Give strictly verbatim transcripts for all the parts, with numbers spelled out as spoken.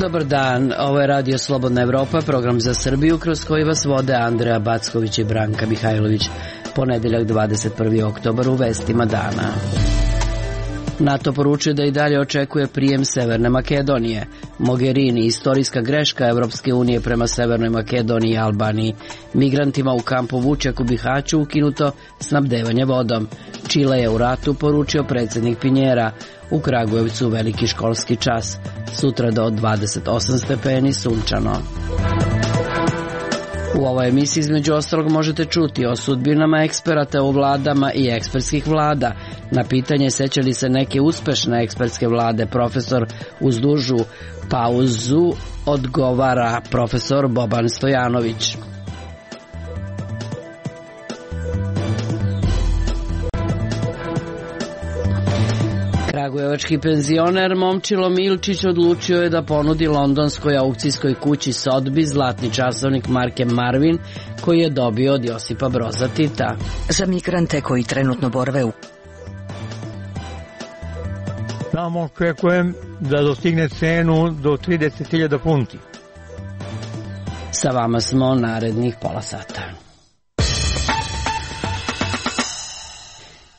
Dobar dan, ovo je Radio Slobodna Evropa, program za Srbiju kroz koji vas vode Andreja Backović i Branka Mihajlović. Ponedeljak dvadeset prvi oktobar u vestima dana. NATO poručuje da i dalje očekuje prijem Severne Makedonije. Mogherini, istorijska greška Evropske unije prema Severnoj Makedoniji i Albaniji. Migrantima u kampu Vučjak u Bihaću ukinuto snabdevanje vodom. Čile je u ratu, poručio predsjednik Pinjera. U Kragujevcu veliki školski čas. Sutra do dvadeset osam stepeni, sunčano. U ovoj emisiji između ostalog možete čuti o sudbinama eksperata u vladama i ekspertskih vlada. Na pitanje seća li se neke uspešne ekspertske vlade, profesor uz dužu pauzu odgovara profesor Boban Stojanović. Kragujevački penzioner Momčilo Milčić odlučio je da ponudi londonskoj aukcijskoj kući Sotheby's zlatni časovnik marke Marvin koji je dobio od Josipa Broza Tita. Za migrante koji trenutno borave u Tamo očekujem da dostigne cenu do trideset hiljada funti. Sa vama smo narednih pola sata.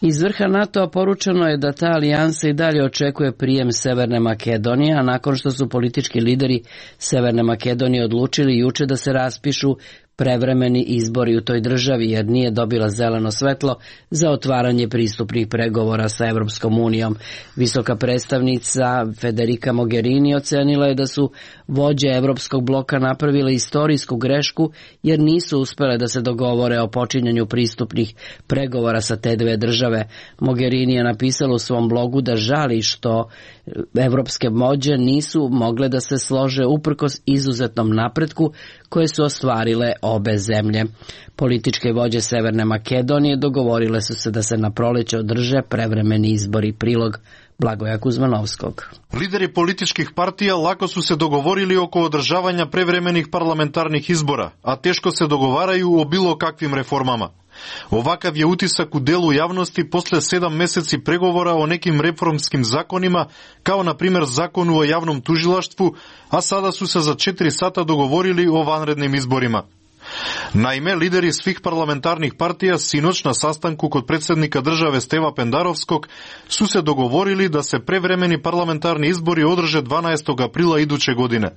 Iz vrha NATO-a poručeno je da ta alijansa i dalje očekuje prijem Severne Makedonije, a nakon što su politički lideri Severne Makedonije odlučili juče da se raspišu prevremeni izbori u toj državi jer nije dobila zeleno svetlo za otvaranje pristupnih pregovora sa Evropskom unijom. Visoka predstavnica Federica Mogherini ocenila je da su vođe Evropskog bloka napravile istorijsku grešku jer nisu uspele da se dogovore o počinjanju pristupnih pregovora sa te dve države. Mogherini je napisala u svom blogu da žali što evropske vođe nisu mogle da se slože uprkos izuzetnom napretku koje su ostvarile obe zemlje. Političke vođe Severne Makedonije dogovorile su se da se na proleće održe prevremeni izbori. Prilog Blagoja Kuzmanovskog. Lideri političkih partija lako su se dogovorili oko održavanja prevremenih parlamentarnih izbora, a teško se dogovaraju o bilo kakvim reformama. Ovakav je utisak u delu javnosti posle sedam meseci pregovora o nekim reformskim zakonima, kao na primjer zakonu o javnom tužilaštvu, a sada su se za četiri sata dogovorili o vanrednim izborima. Naime, lideri svih parlamentarnih partija sinoć na sastanku kod predsjednika države Steva Pendarovskog su se dogovorili da se prevremeni parlamentarni izbori održe dvanaestog aprila iduće godine,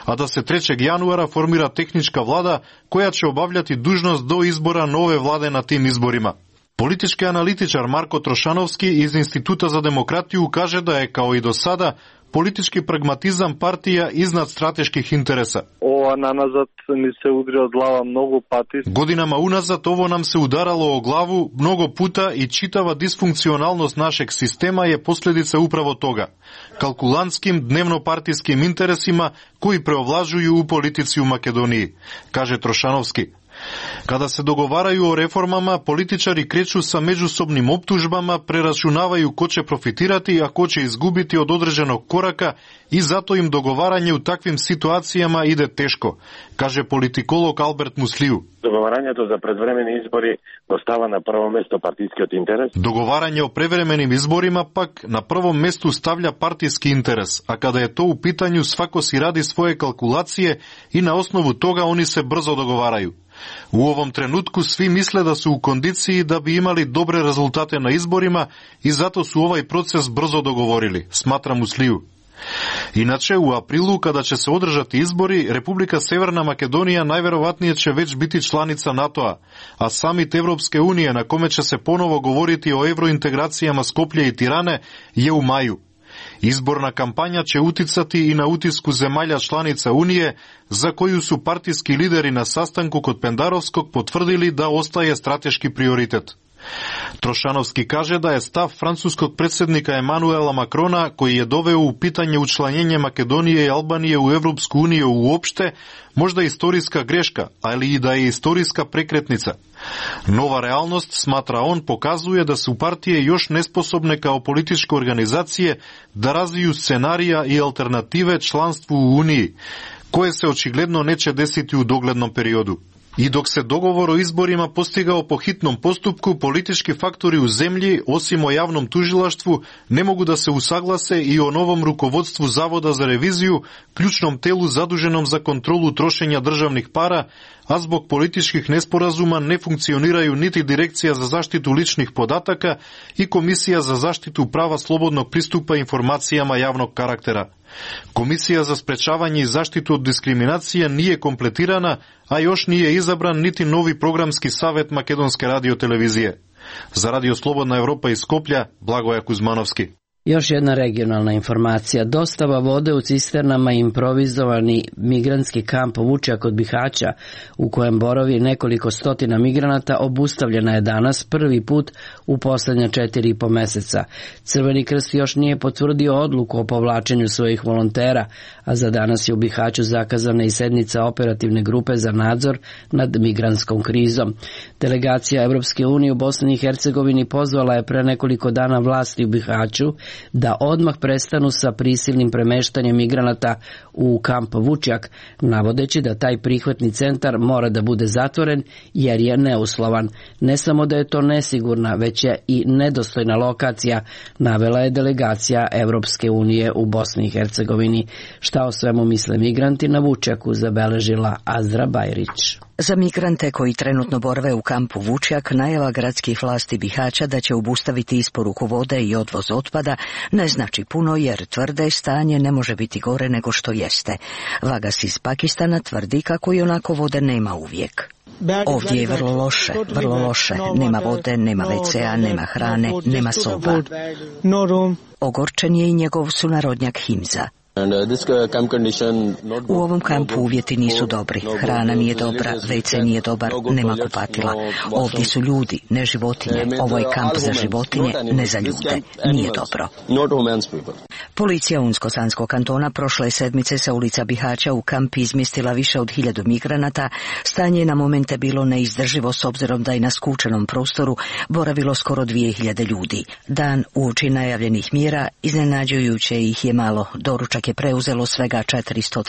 a da se trećeg januara formira tehnička vlada koja će obavljati dužnost do izbora nove vlade na tim izborima. Politički analitičar Marko Trošanovski iz Instituta za demokratiju kaže da je kao i do sada politički pragmatizam partija iznad strateških interesa. Ova nanazad mi se udri od glava mnogo pati. Godinama unazad ovo nam se udaralo o glavu mnogo puta i čitava disfunkcionalnost našeg sistema je posljedica upravo toga. Kalkulantskim dnevnopartijskim interesima koji preovlažuju u politici u Makedoniji, kaže Trošanovski. Kada se dogovaraju o reformama, političari kreću sa međusobnim optužbama, preračunavaju ko će profitirati, a ko će izgubiti od određenog koraka i zato im dogovaranje u takvim situacijama ide teško, kaže politikolog Albert Musliju. Договарањето за предвремени избори остава на прво место партискиот интерес. Договарање о превременим изборima пак на прво место ставља партиски интерес, а када е то у питању свако си ради своје калкулације и на основу тога они се брзо договарају. U ovom trenutku svi misle da su u kondiciji da bi imali dobre rezultate na izborima i zato su ovaj proces brzo dogovorili, smatra Musliju. Inače, u aprilu, kada će se održati izbori, Republika Severna Makedonija najverovatnije će već biti članica NATO-a, a samit Evropske unije na kome će se ponovo govoriti o evrointegracijama Skoplje i Tirane je u maju. Izborna kampanja će uticati i na utisku zemalja članica Unije, za koju su partijski lideri na sastanku kod Pendarovskog potvrdili da ostaje strateški prioritet. Trošanovski kaže da je stav francuskog predsjednika Emanuela Macrona, koji je doveo u pitanje učlanjenje Makedonije i Albanije u Evropsku uniju uopšte, možda istorijska greška, ali i da je istorijska prekretnica. Nova realnost, smatra on, pokazuje da su partije još nesposobne kao političke organizacije da razviju scenarija i alternative članstvu u Uniji, koje se očigledno neće desiti u doglednom periodu. I dok se dogovor o izborima postigao po hitnom postupku, politički faktori u zemlji, osim o javnom tužilaštvu, ne mogu da se usaglase i o novom rukovodstvu Zavoda za reviziju, ključnom telu zaduženom za kontrolu trošenja državnih para, a zbog političkih nesporazuma ne funkcioniraju niti Direkcija za zaštitu ličnih podataka i Komisija za zaštitu prava slobodnog pristupa informacijama javnog karaktera. Komisija za sprečavanje i zaštitu od diskriminacije nije kompletirana, a još nije izabran niti novi programski savet Makedonske radiotelevizije. Za Radio Slobodna Evropa iz Skoplja, Blagoja Kuzmanovski. Još jedna regionalna informacija. Dostava vode u cisternama i improvizovani migrantski kamp Vučjak kod Bihaća, u kojem boravi nekoliko stotina migranata, obustavljena je danas prvi put u poslednja četiri i po meseca. Crveni krst još nije potvrdio odluku o povlačenju svojih volontera, a za danas je u Bihaću zakazana i sednica operativne grupe za nadzor nad migrantskom krizom. Delegacija Evropske unije u Bosni i Hercegovini pozvala je pre nekoliko dana vlasti u Bihaću da odmah prestanu sa prisilnim premeštanjem migranata u kamp Vučjak, navodeći da taj prihvatni centar mora da bude zatvoren jer je neuslovan. Ne samo da je to nesigurna, već je i nedostojna lokacija, navela je delegacija Evropske unije u Bosni i Hercegovini. Šta o svemu misle migranti na Vučjaku, zabeležila Azra Bajrić. Za migrante koji trenutno borave u kampu Vučjak, najava gradskih vlasti Bihaća da će obustaviti isporuku vode i odvoz otpada ne znači puno, jer tvrde stanje ne može biti gore nego što jeste. Vagas iz Pakistana tvrdi kako i onako vode nema uvijek. Ovdje je vrlo loše, vrlo loše. Nema vode, nema ve ce a, nema hrane, nema soba. Ogorčen je i njegov sunarodnjak Himza. U ovom kampu uvjeti nisu dobri, hrana nije dobra, ve ce nije dobar, nema kupatila. Ovdje su ljudi, ne životinje. Ovo je kamp za životinje, ne za ljude. Nije dobro. Policija Unsko-Sanskog kantona prošle sedmice sa ulica Bihaća u kamp izmjestila više od hiljadu migranata. Stanje je na momente bilo neizdrživo s obzirom da je na skučenom prostoru boravilo skoro dvije hiljade ljudi. Dan uoči najavljenih mjera iznenađujuće ih je malo. Doručak je preuzelo svega četiristo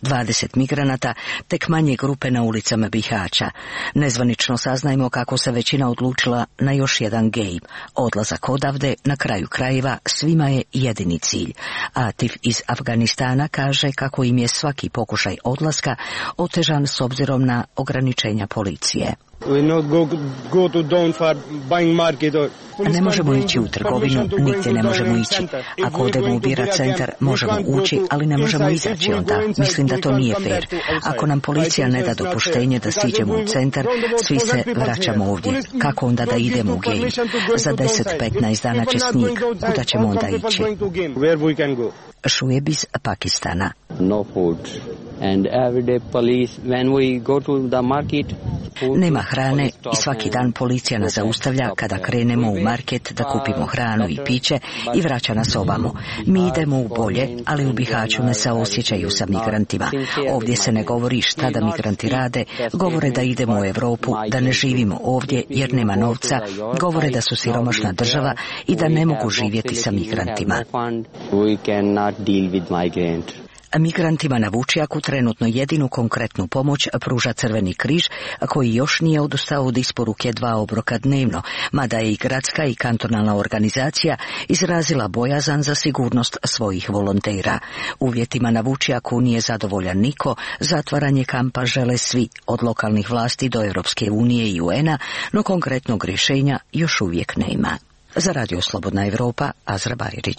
dvadeset migranata, tek manje grupe na ulicama Bihaća. Nezvanično saznajmo kako se većina odlučila na još jedan gej. Odlazak odavde, na kraju krajeva, svima je jedini cilj. Atif iz Afganistana kaže kako im je svaki pokušaj odlaska otežan s obzirom na ograničenja policije. Ne možemo ići u trgovinu, nigdje ne možemo ići. Ako odemo u bira centar, možemo ući, ali ne možemo izaći onda. Mislim da to nije fair. Ako nam policija ne da dopuštenje da siđemo u centar, svi se vraćamo ovdje. Kako onda da idemo u gej? Za deset do petnaest dana će snijeg. Kuda ćemo onda ići? Šueb iz Pakistana. No food. And everyday police, when we go to the market, nema hrane i svaki dan policija nas zaustavlja kada krenemo u market da kupimo hranu i piće i vraća nas ovamo. Mi idemo u bolje, ali u Bihaću ne se osjećaju sa migrantima. Ovdje se ne govori šta da migranti rade, govore da idemo u Europu, da ne živimo ovdje jer nema novca, govore da su siromašna država i da ne mogu živjeti sa migrantima. Migrantima na Vučjaku trenutno jedinu konkretnu pomoć pruža Crveni križ, koji još nije odustao od isporuke dva obroka dnevno, mada je i gradska i kantonalna organizacija izrazila bojazan za sigurnost svojih volontera. Uvjetima na Vučjaku nije zadovoljan niko, zatvaranje kampa žele svi, od lokalnih vlasti do Europske unije i u en a, no konkretnog rješenja još uvijek nema. Za Radio Slobodna Evropa, Azra Bajrić.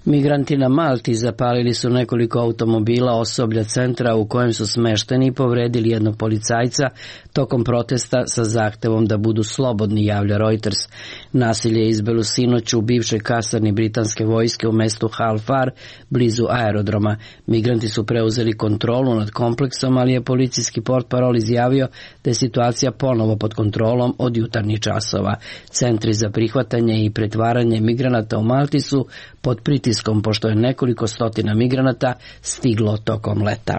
Migranti na Malti zapalili su nekoliko automobila osoblja centra u kojem su smešteni i povredili jednog policajca tokom protesta sa zahtevom da budu slobodni, javlja Reuters. Nasilje je izbilo sinoć u bivšoj kasarni britanske vojske u mestu Halfar, blizu aerodroma. Migranti su preuzeli kontrolu nad kompleksom, ali je policijski portparol izjavio da je situacija ponovo pod kontrolom od jutarnjih časova. Centri za prihvatanje i pretvaranje migranata u Malti su pod pritiskom, pošto je nekoliko stotina migranata stiglo tokom leta.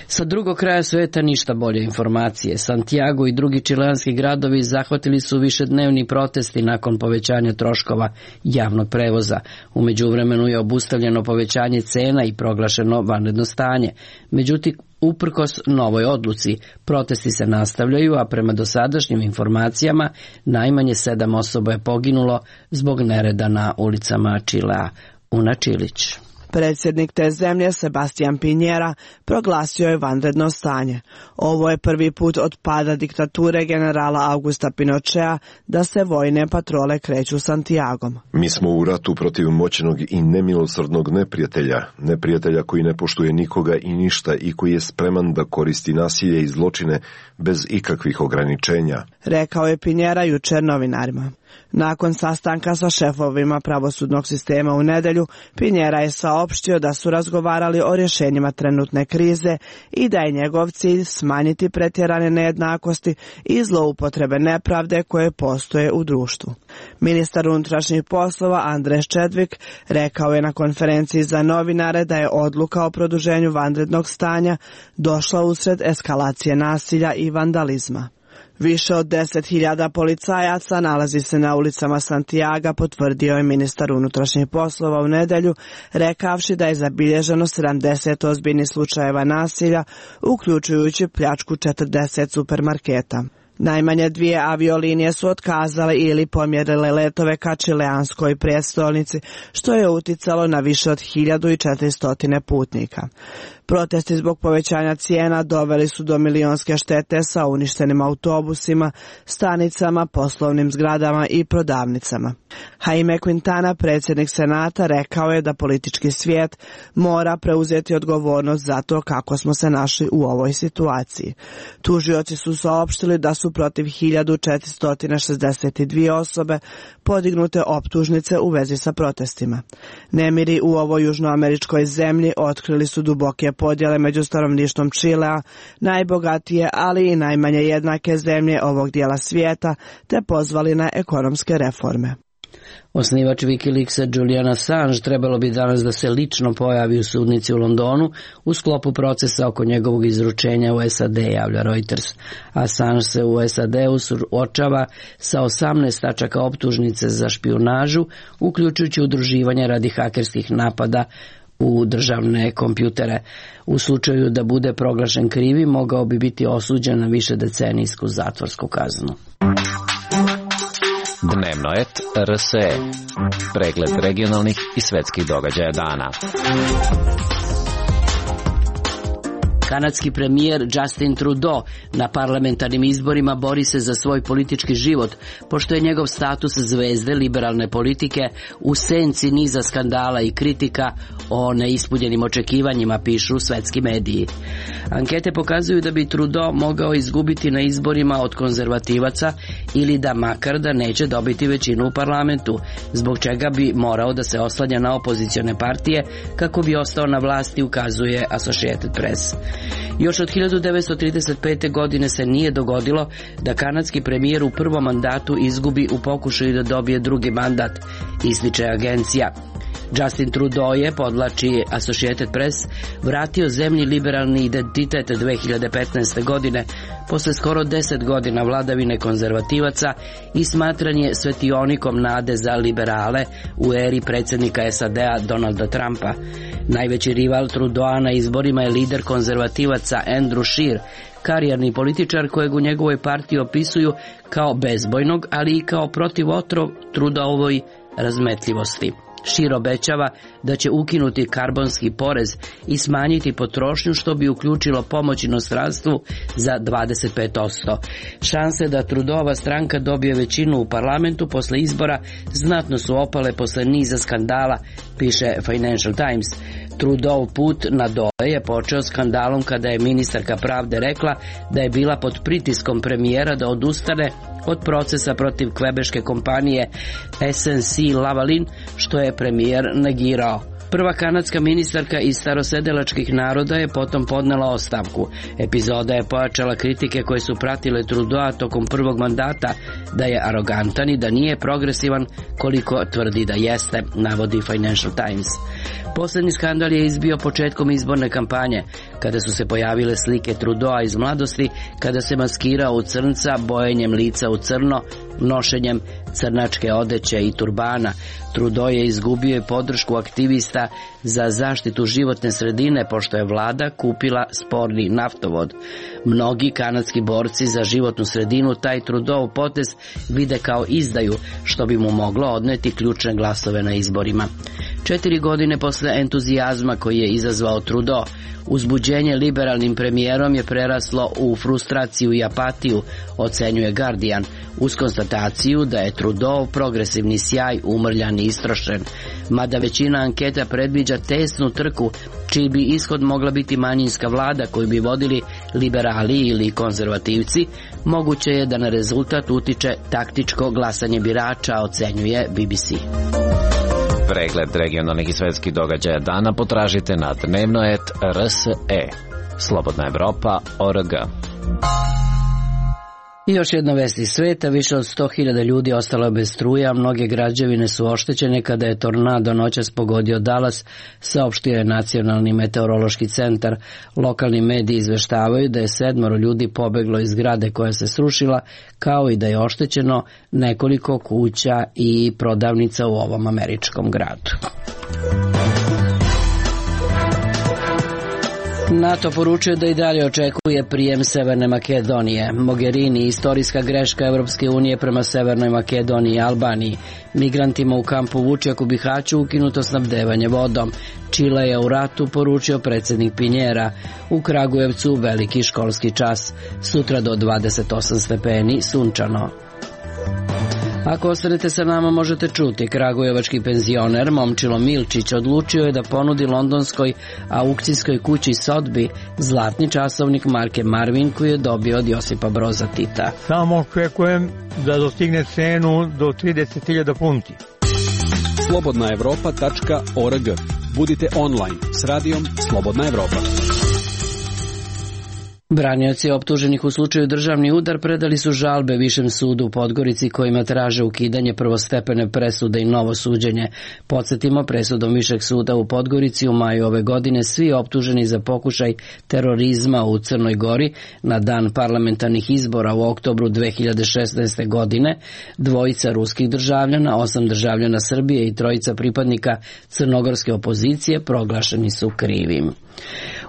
Sa drugog kraja sveta ništa bolje informacije. Santiago i drugi čileanski gradovi zahvatili su višednevni protesti nakon povećanja troškova javnog prevoza. U međuvremenu je obustavljeno povećanje cena i proglašeno vanredno stanje. Međutim, Uprkos novoj odluci, protesti se nastavljaju, a prema dosadašnjim informacijama najmanje sedam osoba je poginulo zbog nereda na ulicama Čilea. Una Čilić. Predsjednik te zemlje, Sebastián Piñera, proglasio je vanredno stanje. Ovo je prvi put od pada diktature generala Augusta Pinochea da se vojne patrole kreću Santiagom. Mi smo u ratu protiv moćnog i nemilosrdnog neprijatelja, neprijatelja koji ne poštuje nikoga i ništa i koji je spreman da koristi nasilje i zločine bez ikakvih ograničenja, rekao je Piñera jučer novinarima. Nakon sastanka sa šefovima pravosudnog sistema u nedelju, Piñera je saopštio da su razgovarali o rješenjima trenutne krize i da je njegov cilj smanjiti pretjerane nejednakosti i zloupotrebe nepravde koje postoje u društvu. Ministar unutrašnjih poslova Andres Čedvik rekao je na konferenciji za novinare da je odluka o produženju vanrednog stanja došla usred eskalacije nasilja i vandalizma. Više od deset hiljada policajaca nalazi se na ulicama Santiaga, potvrdio je ministar unutrašnjih poslova u nedelju, rekavši da je zabilježeno sedamdeset ozbiljnih slučajeva nasilja, uključujući pljačku četrdeset supermarketa. Najmanje dvije aviolinije su otkazale ili pomjerile letove ka čileanskoj prijestolnici, što je uticalo na više od hiljadu četiristo putnika. Protesti zbog povećanja cijena doveli su do milionske štete sa uništenim autobusima, stanicama, poslovnim zgradama i prodavnicama. Jaime Quintana, predsjednik Senata, rekao je da politički svijet mora preuzeti odgovornost za to kako smo se našli u ovoj situaciji. Tužioci su saopštili da su protiv hiljadu četiristo šezdeset dvije osobe podignute optužnice u vezi sa protestima. Nemiri u ovoj južnoameričkoj zemlji otkrili su duboke podjele među stanovništvom Čilea, najbogatije, ali i najmanje jednake zemlje ovog dijela svijeta, te pozvali na ekonomske reforme. Osnivač Wikileaksa Julian Assange trebalo bi danas da se lično pojavi u sudnici u Londonu u sklopu procesa oko njegovog izručenja u S A D, javlja Reuters. Assange se u S A D-u suočava sa osamnaest tačaka optužnice za špijunažu, uključujući udruživanje radi hakerskih napada u državne kompjutere. U slučaju da bude proglašen krivi, mogao bi biti osuđen na višedecenijsku zatvorsku kaznu. Dnevnoet R S E. Pregled regionalnih i svetskih događaja dana. Kanadski premijer Justin Trudeau na parlamentarnim izborima bori se za svoj politički život, pošto je njegov status zvezde liberalne politike u senci niza skandala i kritika o neispunjenim očekivanjima, pišu svetski mediji. Ankete pokazuju da bi Trudeau mogao izgubiti na izborima od konzervativaca ili da makar da neće dobiti većinu u parlamentu, zbog čega bi morao da se oslanja na opozicione partije kako bi ostao na vlasti, ukazuje Associated Press. Još od hiljadu devetsto trideset pete. godine se nije dogodilo da kanadski premijer u prvom mandatu izgubi u pokušaju da dobije drugi mandat, ističe agencija. Justin Trudeau je, podlači Associated Press, vratio zemlji liberalni identitet dve hiljade petnaeste. godine, posle skoro deset godina vladavine konzervativaca i smatran je svetionikom nade za liberale u eri predsjednika S A D-a Donalda Trumpa. Najveći rival Trudeau na izborima je lider konzervativaca Andrew Scheer, karijerni političar kojeg u njegovoj partiji opisuju kao bezbojnog, ali i kao protivotrov Trudeauovoj razmetljivosti. Scheer obećava da će ukinuti karbonski porez i smanjiti potrošnju, što bi uključilo pomoć inostranstvu za dvadeset pet posto. Šanse da Trudeauova stranka dobije većinu u parlamentu posle izbora znatno su opale posle niza skandala, piše Financial Times. Trudeau put na dole je počeo skandalom kada je ministarka pravde rekla da je bila pod pritiskom premijera da odustane od procesa protiv kvebeške kompanije S N C Lavalin, što je premijer negirao. Prva kanadska ministarka iz starosedelačkih naroda je potom podnela ostavku. Epizoda je pojačala kritike koje su pratile Trudeau tokom prvog mandata, da je arogantan i da nije progresivan koliko tvrdi da jeste, navodi Financial Times. Poslednji skandal je izbio početkom izborne kampanje, kada su se pojavile slike Trudeaua iz mladosti, kada se maskirao u crnca, bojenjem lica u crno, nošenjem crnačke odeće i turbana. Trudeau je izgubio i podršku aktivista za zaštitu životne sredine, pošto je vlada kupila sporni naftovod. Mnogi kanadski borci za životnu sredinu taj Trudeau potez vide kao izdaju, što bi mu moglo odneti ključne glasove na izborima. Četiri godine posle entuzijazma koji je izazvao Trudeau, uzbuđenje liberalnim premijerom je preraslo u frustraciju i apatiju, ocenjuje Guardian, uz konstataciju da je Trudeau progresivni sjaj umrljan i istrošen. Mada većina anketa predviđa tesnu trku, čiji bi ishod mogla biti manjinska vlada koju bi vodili liberali ili konzervativci, moguće je da na rezultat utiče taktičko glasanje birača, ocenjuje B B C. Pregled regionalnih i svetskih događaja dana potražite na dnevno et r s e. Slobodna Evropa точка org. I još jedna vest iz sveta, više od sto hiljada ljudi ostalo je bez struje, a mnoge građevine su oštećene kada je tornado noćas pogodio Dallas, saopštio je Nacionalni meteorološki centar. Lokalni mediji izveštavaju da je sedmoro ljudi pobeglo iz zgrade koja se srušila, kao i da je oštećeno nekoliko kuća i prodavnica u ovom američkom gradu. NATO poručuje da i dalje očekuje prijem Severne Makedonije. Mogherini, istorijska greška Evropske unije prema Severnoj Makedoniji i Albaniji. Migrantima u kampu Vučjak u Bihaću ukinuto snabdevanje vodom. Čile je u ratu, poručio predsjednik Pinjera. U Kragujevcu veliki školski čas. Sutra do dvadeset osam stepeni, sunčano. Ako ostanete sa nama, možete čuti, kragujevački penzioner Momčilo Milčić odlučio je da ponudi londonskoj aukcijskoj kući Sotbi zlatni časovnik marke Marvin koji je dobio od Josipa Broza Tita. Samo očekujem da dostigne cenu do trideset hiljada funti. Slobodna Evropa точка org. Budite online s radijom Slobodna Evropa. Branioci optuženih u slučaju državni udar predali su žalbe Višem sudu u Podgorici kojima traže ukidanje prvostepene presude i novo suđenje. Podsjetimo, presudom Višeg suda u Podgorici u maju ove godine svi optuženi za pokušaj terorizma u Crnoj Gori na dan parlamentarnih izbora u oktobru dve hiljade šesnaeste. godine, dvojica ruskih državljana, osam državljana Srbije i trojica pripadnika crnogorske opozicije proglašeni su krivim.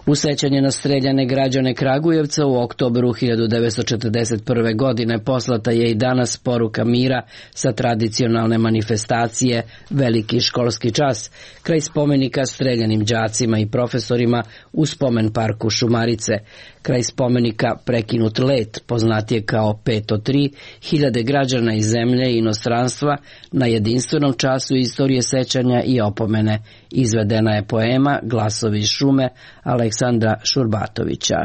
U sećanje na streljane građane Kragujevca u oktobru hiljadu devetsto četrdeset prve. godine poslata je i danas poruka mira sa tradicionalne manifestacije Veliki školski čas, kraj spomenika streljanim đacima i profesorima u spomen parku Šumarice. Kraj spomenika Prekinut let, poznatije kao pet od tri, hiljade građana iz zemlje i inostranstva na jedinstvenom času istorije sećanja i opomene. Izvedena je poema Glasovi iz šume Aleksandra Šurbatovića.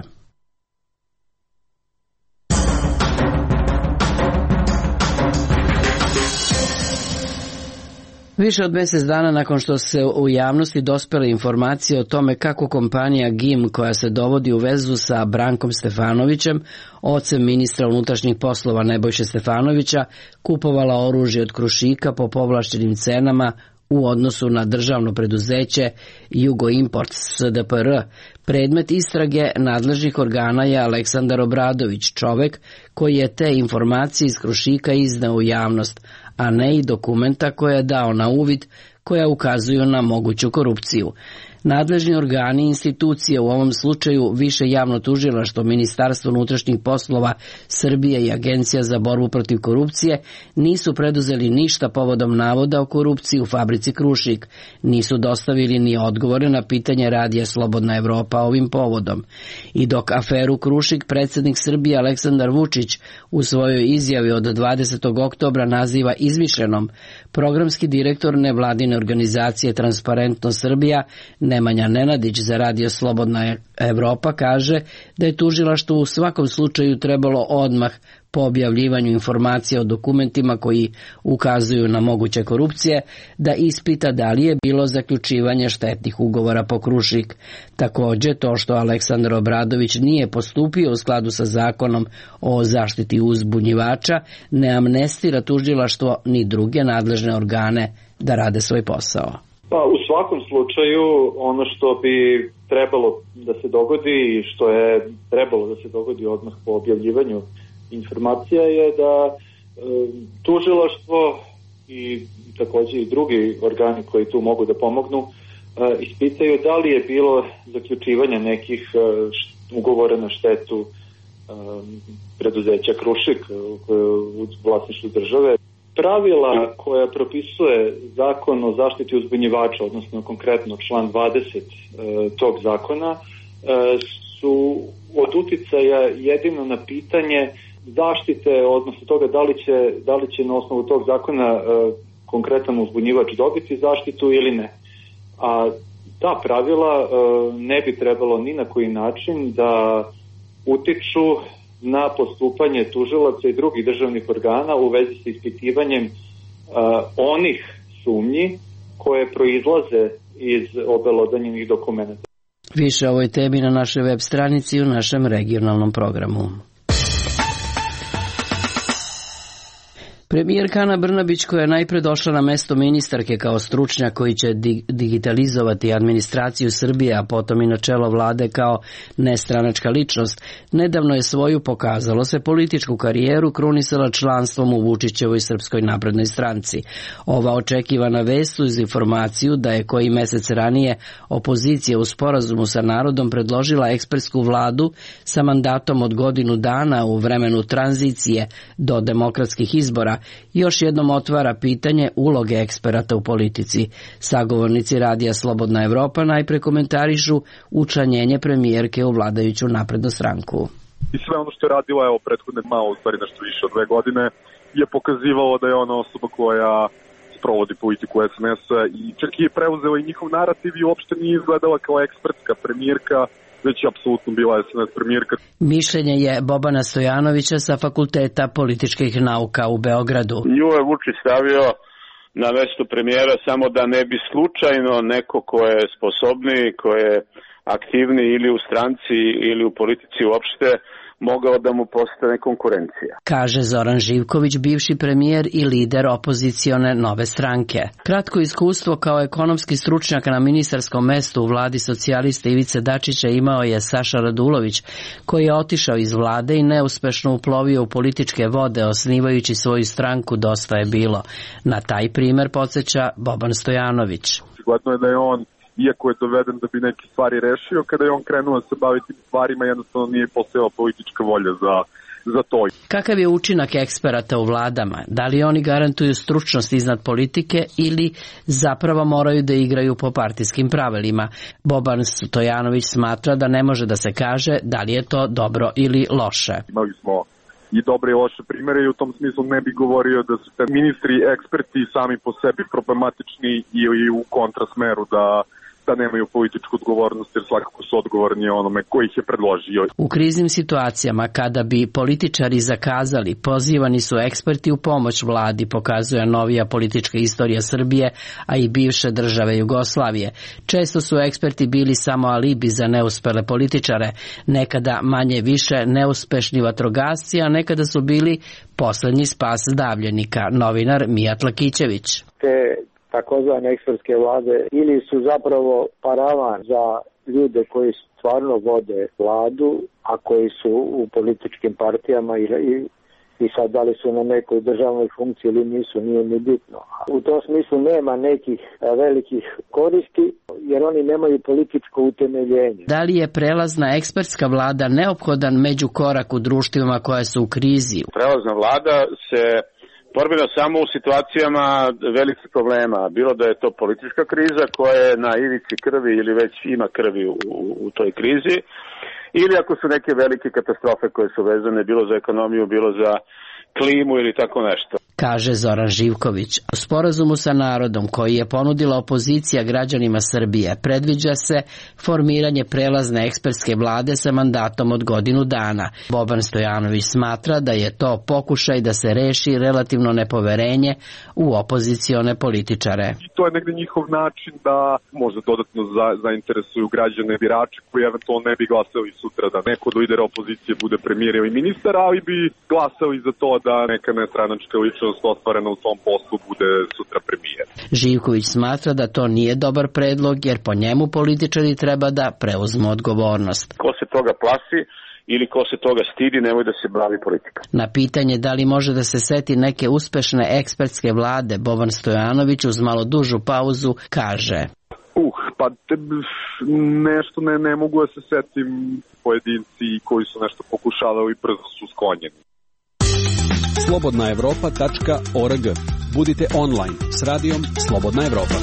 Više od mjesec dana nakon što se u javnosti dospele informacije o tome kako kompanija G I M, koja se dovodi u vezu sa Brankom Stefanovićem, ocem ministra unutrašnjih poslova Nebojše Stefanovića, kupovala oružje od Krušika po povlaštenim cenama u odnosu na državno preduzeće Jugoimport S D P R. Predmet istrage nadležnih organa je Aleksandar Obradović, čovek koji je te informacije iz Krušika izneo u javnost, a ne i dokumenta koje je dao na uvid koja ukazuju na moguću korupciju. Nadležni organi i institucije, u ovom slučaju Više javno tužilaštvo, Ministarstvo unutrašnjih poslova Srbije i Agencija za borbu protiv korupcije, nisu preduzeli ništa povodom navoda o korupciji u fabrici Krušik. Nisu dostavili ni odgovore na pitanje radija Slobodna Evropa ovim povodom. I dok aferu Krušik predsjednik Srbije Aleksandar Vučić u svojoj izjavi od dvadesetog oktobra naziva izmišljenom, programski direktor nevladine organizacije Transparentno Srbija Nemanja Nenadić za radio Slobodna Evropa kaže da je tužilaštvo u svakom slučaju trebalo odmah po objavljivanju informacija o dokumentima koji ukazuju na moguće korupcije da ispita da li je bilo zaključivanje štetnih ugovora po Krušik. Također to što Aleksandar Obradović nije postupio u skladu sa zakonom o zaštiti uzbunjivača ne amnestira tužilaštvo ni druge nadležne organe da rade svoj posao. Pa u svakom slučaju ono što bi trebalo da se dogodi i što je trebalo da se dogodi odmah po objavljivanju informacija je da e, tužilaštvo i takođe i drugi organi koji tu mogu da pomognu e, ispitaju da li je bilo zaključivanja nekih e, ugovora na štetu e, preduzeća Krušik u vlasništvu države. Pravila koja propisuje zakon o zaštiti uzbunjivača, odnosno konkretno član dvadeset e, tog zakona, e, su od uticaja jedino na pitanje zaštite, odnosno toga da li će, da li će na osnovu tog zakona e, konkretan uzbunjivač dobiti zaštitu ili ne. A ta pravila e, ne bi trebalo ni na koji način da utiču na postupanje tužilaca i drugih državnih organa u vezi sa ispitivanjem uh, onih sumnji koje proizlaze iz obelodanjenih dokumenta. Više o ovoj temi na našoj web stranici i u našem regionalnom programu. Premijerka Ana Brnabić, koja je najpre došla na mesto ministarke kao stručnjak koji će digitalizovati administraciju Srbije, a potom i na čelo vlade kao nestranačka ličnost, nedavno je svoju, pokazalo se, političku karijeru krunisala članstvom u Vučićevoj Srpskoj naprednoj stranci. Ova očekivana vest uz informaciju da je koji mesec ranije opozicija u sporazumu sa narodom predložila ekspertsku vladu sa mandatom od godinu dana u vremenu tranzicije do demokratskih izbora, još jednom otvara pitanje uloge eksperata u politici. Sagovornici radija Slobodna Evropa najpre komentarišu učlanjenje premijerke u vladajuću naprednu stranku. I sve ono što je radila, evo, prethodne malo, u stvari nešto više od dve godine, je pokazivalo da je ona osoba koja sprovodi politiku es en es-a i čak je preuzela i njihov narativ i uopšte nije izgledala kao ekspertska premijerka, već je apsolutno bila es en es premijerka. Mišljenje je Bobana Stojanovića sa Fakulteta političkih nauka u Beogradu. Nju je Vučić stavio na mesto premijera samo da ne bi slučajno neko ko je sposobniji, ko je aktivniji ili u stranci ili u politici uopšte, mogao da mu postane konkurencija. Kaže Zoran Živković, bivši premijer i lider opozicione Nove stranke. Kratko iskustvo kao ekonomski stručnjak na ministarskom mestu u vladi socijalista Ivice Dačića imao je Saša Radulović, koji je otišao iz vlade i neuspešno uplovio u političke vode, osnivajući svoju stranku Dosta je bilo. Na taj primer podsjeća Boban Stojanović. Sigurno je da je on, iako je doveden da bi neke stvari rešio, kada je on krenuo da se baviti stvarima, jednostavno nije postojala politička volja za, za to. Kakav je učinak eksperata u vladama? Da li oni garantuju stručnost iznad politike ili zapravo moraju da igraju po partijskim pravilima? Boban Stojanović smatra da ne može da se kaže da li je to dobro ili loše. Imali smo i dobre i loše primere i u tom smislu ne bi govorio da su te ministri eksperti sami po sebi problematični ili u kontrasmeru da da nemaju političku odgovornost, jer svakako su odgovorni onome koji ih je predložio. U kriznim situacijama, kada bi političari zakazali, pozivani su eksperti u pomoć vladi, pokazuje novija politička istorija Srbije, a i bivše države Jugoslavije. Često su eksperti bili samo alibi za neuspele političare, nekada manje više neuspešni vatrogasci, a nekada su bili poslednji spas davljenika, novinar Mijat Lakićević. Te takozvane ekspertske vlade ili su zapravo paravan za ljude koji stvarno vode vladu, a koji su u političkim partijama i, i, i sad da li su na nekoj državnoj funkciji ili nisu, nije ni bitno. U tom smislu nema nekih velikih koristi, jer oni nemaju političko utemeljenje. Da li je prelazna ekspertska vlada neophodan međukorak u društvima koje su u krizi? Prelazna vlada se formira samo u situacijama velikih problema, bilo da je to politička kriza koja je na ivici krvi ili već ima krvi u, u toj krizi, ili ako su neke velike katastrofe koje su vezane bilo za ekonomiju, bilo za klimu ili tako nešto. Kaže Zoran Živković. U sporazumu sa narodom koji je ponudila opozicija građanima Srbije predviđa se formiranje prelazne ekspertske vlade sa mandatom od godinu dana. Boban Stojanović smatra da je to pokušaj da se reši relativno nepoverenje u opozicione političare. I to je negde njihov način da možda dodatno za, zainteresuju građane birače koji eventualno ne bi glasali sutra da neko od lidera opozicije bude premijer ili ministar, ali bi glasali za to da neka nestranačka ličnost uspešnost ostvarena u tom poslu bude sutra premijer. Živković smatra da to nije dobar predlog jer po njemu političari treba da preuzmu odgovornost. Ko se toga plaši ili ko se toga stidi, nemoj da se bavi politika. Na pitanje da li može da se seti neke uspešne ekspertske vlade, Boban Stojanović uz malo dužu pauzu kaže: Uh, pa te, nešto ne, ne mogu da se setim pojedinci koji su nešto pokušavali i brzo su sklonjeni. slobodna evropa tačka org. Budite online s radijom Slobodna Evropa.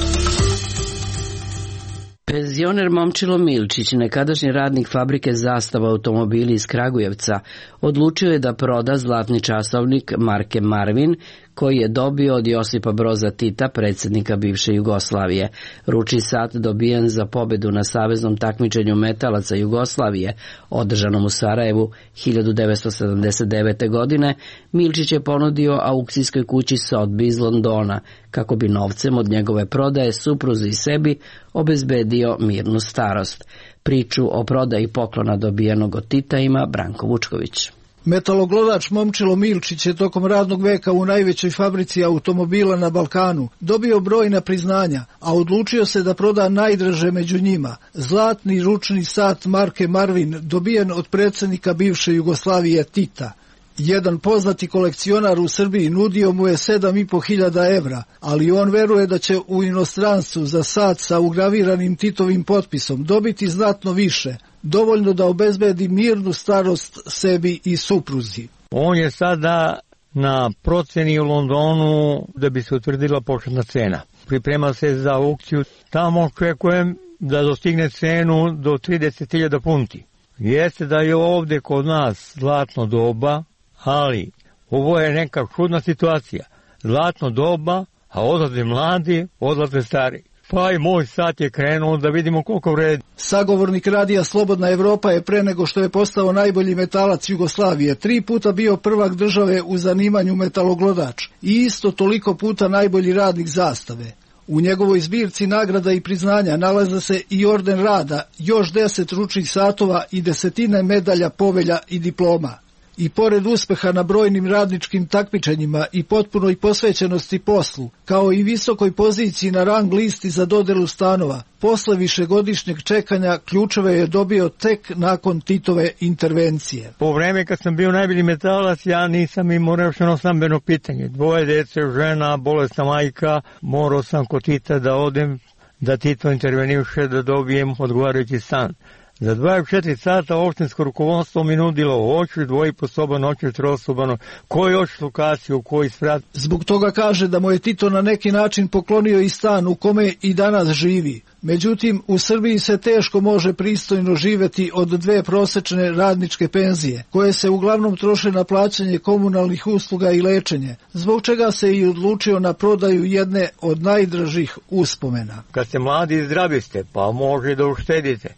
Penzioner Momčilo Milčić, nekadašnji radnik fabrike Zastava automobili iz Kragujevca, odlučio je da proda zlatni časovnik marke Marvin, koji je dobio od Josipa Broza Tita, predsjednika bivše Jugoslavije. Ručni sat dobijen za pobedu na saveznom takmičenju metalaca Jugoslavije, održanom u Sarajevu hiljadu devetsto sedamdeset devete. godine, Milčić je ponudio aukcijskoj kući Sotheby iz Londona, kako bi novcem od njegove prodaje supruzi i sebi obezbedio mirnu starost. Priču o prodaji poklona dobijenog od Tita ima Branko Vučković. Metaloglodač Momčilo Milčić je tokom radnog veka u najvećoj fabrici automobila na Balkanu dobio brojna priznanja, a odlučio se da proda najdraže među njima, zlatni ručni sat marke Marvin dobijen od predsjednika bivše Jugoslavije Tita. Jedan poznati kolekcionar u Srbiji nudio mu je sedam i po hiljada evra, ali on veruje da će u inostranstvu za sat sa ugraviranim Titovim potpisom dobiti znatno više, dovoljno da obezbedi mirnu starost sebi i supruzi. On je sada na proceni u Londonu da bi se utvrdila početna cena. Priprema se za aukciju. Tamo očekujem da dostigne cenu do trideset hiljada funti. Jeste da je ovdje kod nas zlatno doba, ali ovo je neka čudna situacija. Zlatno doba, a odlaze mladi, odlaze stari. Pa i moj sat je krenuo da vidimo koliko vredi. Sagovornik radija Slobodna Evropa je pre nego što je postao najbolji metalac Jugoslavije tri puta bio prvak države u zanimanju metaloglodač i isto toliko puta najbolji radnik Zastave. U njegovoj zbirci nagrada i priznanja nalaze se i orden rada, još deset ručnih satova i desetine medalja, povelja i diploma. I pored uspeha na brojnim radničkim takmičenjima i potpunoj posvećenosti poslu, kao i visokoj poziciji na rang listi za dodelu stanova, posle višegodišnjeg čekanja ključeve je dobio tek nakon Titove intervencije. Po vreme kad sam bio najbolji metalac, ja nisam imao rešeno stambeno pitanje. Dvoje dece, žena, bolesna majka, morao sam kod Tita da odem, da Tito interveniše da dobijem odgovarajući stan. Za dvadeset četiri sata opštinsko rukovodstvo mi nudilo hoćeš dvojiposoban, hoćeš trosoban, koji hoćeš lokaciju, koji sprat. Zbog toga kaže da mu je Tito na neki način poklonio i stan u kome i danas živi. Međutim, u Srbiji se teško može pristojno živeti od dve prosečne radničke penzije, koje se uglavnom troše na plaćanje komunalnih usluga i lečenje, zbog čega se i odlučio na prodaju jedne od najdražih uspomena. Kad ste mladi i zdravi ste, pa može da uštedite.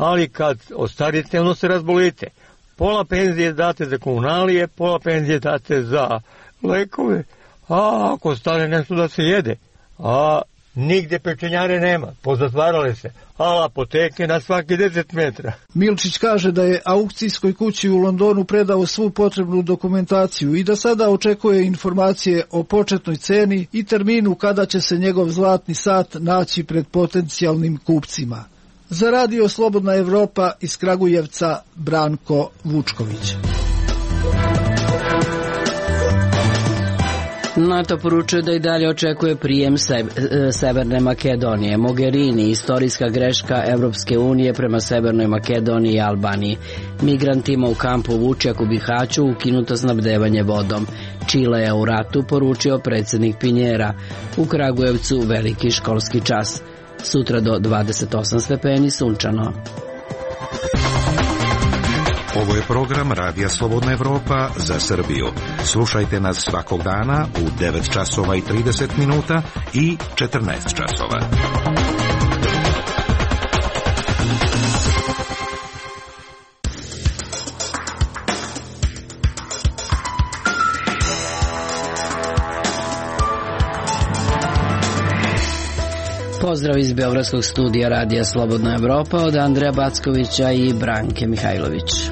Ali kad ostarite, ono se razbolite. Pola penzije date za komunalije, pola penzije date za lekove, a ako stane nešto da se jede, a nigde pečenjare nema, pozatvarale se, a apoteke na svaki deset metra. Milčić kaže da je aukcijskoj kući u Londonu predao svu potrebnu dokumentaciju i da sada očekuje informacije o početnoj ceni i terminu kada će se njegov zlatni sat naći pred potencijalnim kupcima. Za radio Slobodna Evropa iz Kragujevca, Branko Vučković. NATO poručuje da i dalje očekuje prijem Severne Makedonije. Mogherini, istorijska greška Evropske unije prema Severnoj Makedoniji i Albaniji. Migrantima u kampu Vučjak u Bihaću ukinuto snabdevanje vodom. Čile je u ratu, poručio predsjednik Pinjera. U Kragujevcu veliki školski čas. Sutra do dvadeset osam stepeni sunčano. Ovo je program Radija Slobodna Evropa za Srbiju. Slušajte nas svakog dana u devet časova i trideset minuta i četrnaest časova. Pozdrav iz Beogradskog studija Radija Slobodna Evropa od Andreja Backovića i Branke Mihajlović.